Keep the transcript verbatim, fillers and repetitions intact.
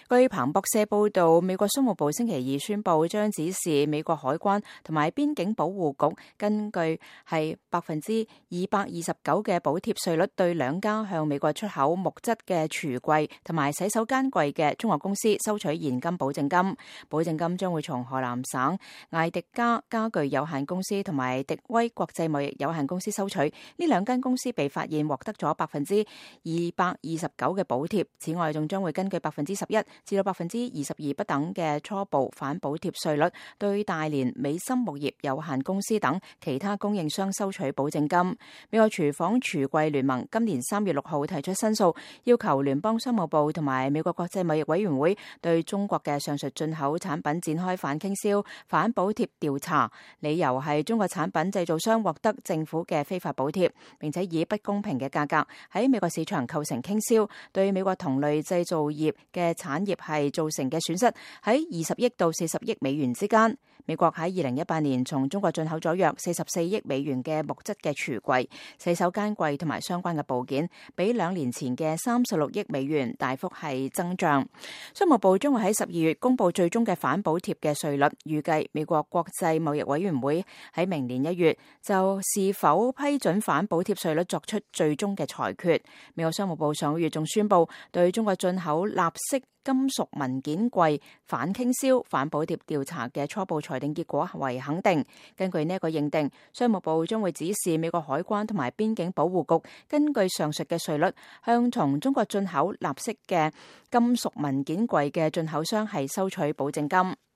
據彭博社報道，美國商務部星期二宣布，將指示美國海關同埋邊境保護局根據係百分之二百二十九嘅補貼稅率，對兩家向美國出口木質嘅櫥櫃同埋洗手間櫃嘅中國公司收取現金保證金。保證金將會從河南省艾迪加家具有限公司同埋迪威國際貿易有限公司收取。呢兩間公司被發現獲得咗百分之二百二十九嘅補貼。此外，仲將會根據百分之十一至到百分之二十二不等嘅初步反補貼稅率，對大連美心木業有限公司等其他供應商收取保證金。美國廚房櫥櫃聯盟今年三月六號提出申訴，要求聯邦商務部同埋美國國際貿易委員會對中國嘅上述進口產品展開反傾銷、反補貼調查，理由係中國產品製造商獲得政府嘅非法補貼，並且以不公平嘅價格喺美國市場構成傾銷，對美國同類製造業嘅產業係造成嘅損失喺二十億到四十億美元之間。美國喺二零一八年從中國進口咗約四十四億美元嘅木質嘅櫥櫃、洗手間櫃同埋相關嘅部件，比兩年前嘅三十六億美元大幅係增長。商務部將會喺十二月公布最終嘅反補貼嘅稅率，預計美國國際貿易委員會喺明年一月就是否批准反補貼稅率作出最終嘅裁決。美國商務部上個月仲宣布對中國進口立式金屬文件櫃反傾銷、反補貼調查嘅初步裁定結果為肯定。根據呢一個認定，商務部將會指示美國海關同埋邊境保護局根據上述嘅稅率，向從中國進口立式嘅金屬文件櫃嘅進口商係收取保證金。